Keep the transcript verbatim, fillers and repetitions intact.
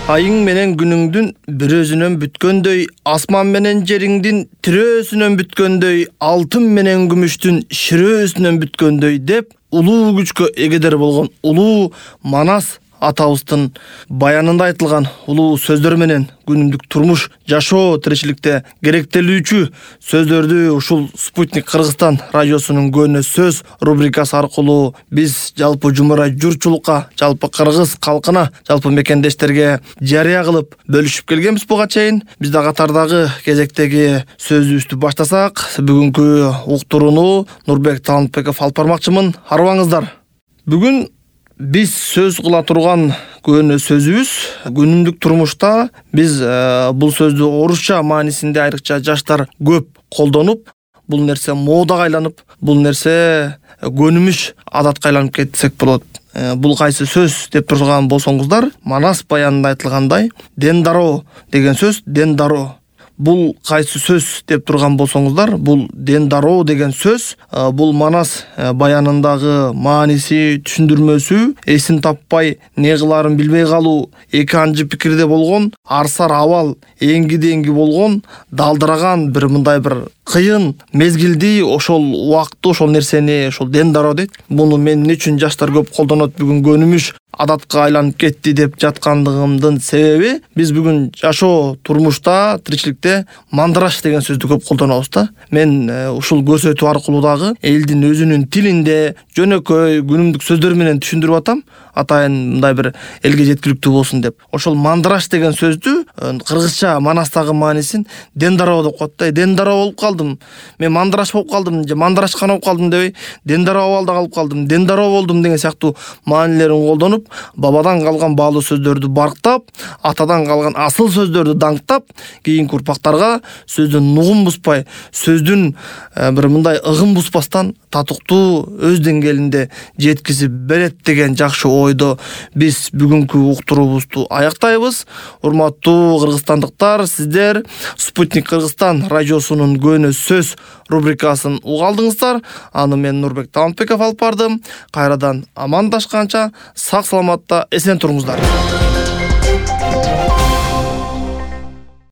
Айың менен күнүңдүн бир өзүнөн бүткөндөй, асман менен жериңдин тирөөсүнөн бүткөндөй, алтын менен күмүштүн ширөөсүнөн бүткөндөй деп улуу күчкө эгедер болгон улуу Манас атабыздын баянында айтылган улуу сөздөр менен күнүмдүк турмуш, жашоо, тиричиликте керектелүүчү сөздөрдү ушул Спутник Кыргызстан радиосунун Көөнө сөз рубрикасы аркылуу биз жалпы жумура журтчулукка, жалпы кыргыз калкына, жалпы мекендештерге жарыя кылып бөлүшүп келгенбиз буга чейин. Биз да катардагы кезектеги сөзүбүздү баштасак, бүгүнкү уктурууну Нурбек Талантбеков алып бармакчымын. Арыбаңыздар. Бүгүн биз сөз кыла турган көөнө сөзүбүз күнүмдүк турмушта биз э, бул сөздү орусча маанисинде айрыкча жаштар көп колдонуп, бул нерсе модага айланып, бул нерсе көнүмүш адатка айланып кетсек болот. Э, бул кайсы сөз деп турган болсоңуздар, Манас баянында айтылгандай, дендаро деген сөз, дендаро. Бул кайсы сөз деп турган болсоңуздар, бул дендаро деген сөз, бул Манас баянындагы мааниси, түшүндүрмөсү, эсин таппай, не кыларын билбей калуу, эки анчы пикирде болгон, арсар абал, эңги-деңги болгон, далдыраган бир мындай бир кыйын мезгилди, ошол убакытты, ошол нерсени ошол дендаро дейт. Буну мен эмне үчүн жаштар көп колдонот, бүгүн көнүмүш адатка айланып кетти деп жаткандыгымдын себеби, биз бүгүн жашоо, турмушта, тиричиликте мандыраш деген сөздү көп колдонобуз да. Мен ушул көрсөтүү аркылуу дагы элдин өзүнүн тилинде жөнөкөй күнүмдүк сөздөр менен түшүндүрүп атам, атайын мындай бир элге жеткиликтүү болсун деп. Ошол мандыраш деген сөздү кыргызча Манастагы маанисин дендаро деп коет да. Дендаро болуп калдым. Мен мандыраш болуп калдым, же мандырашкан болуп калдым дебей, дендаро абалда калып калдым, дендаро болдум деген сыяктуу маанилерин колдонуп, бабадан калган баалуу сөздөрдү барктап, атадан калган асыл сөздөрдү даңктап, кийинки урпактарга сөздүн нугун бузбай, сөздүн бир мындай ыгын бузбастан татыктуу өз деңгээлинде жеткизип берет деген жакшы ойдо биз бүгүнкү уктуруубузду аяктайбыз. Урматтуу кыргызстандыктар, сиздер Спутник Кыргызстан радиосунун Көөнө сөз рубрикасын угалдыңыздар. Аны мен Нурбек Талантбеков алып бардым. Кайрадан амандашканча сак саламатта эсен туруңуздар.